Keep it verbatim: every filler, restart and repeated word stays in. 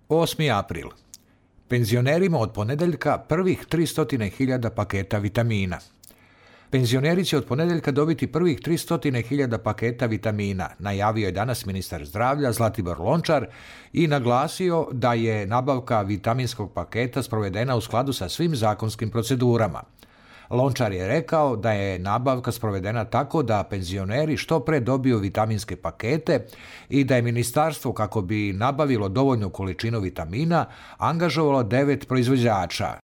osmi april. Penzionerima od ponedeljka prvih tristo hiljada paketa vitamina. Penzioneri će od ponedeljka dobiti prvih tristo hiljada paketa vitamina, najavio je danas ministar zdravlja Zlatibor Lončar i naglasio da je nabavka vitaminskog paketa sprovedena u skladu sa svim zakonskim procedurama. Lončar je rekao da je nabavka sprovedena tako da penzioneri što pre dobiju vitaminske pakete i da je ministarstvo, kako bi nabavilo dovoljnu količinu vitamina, angažovalo devet proizvođača.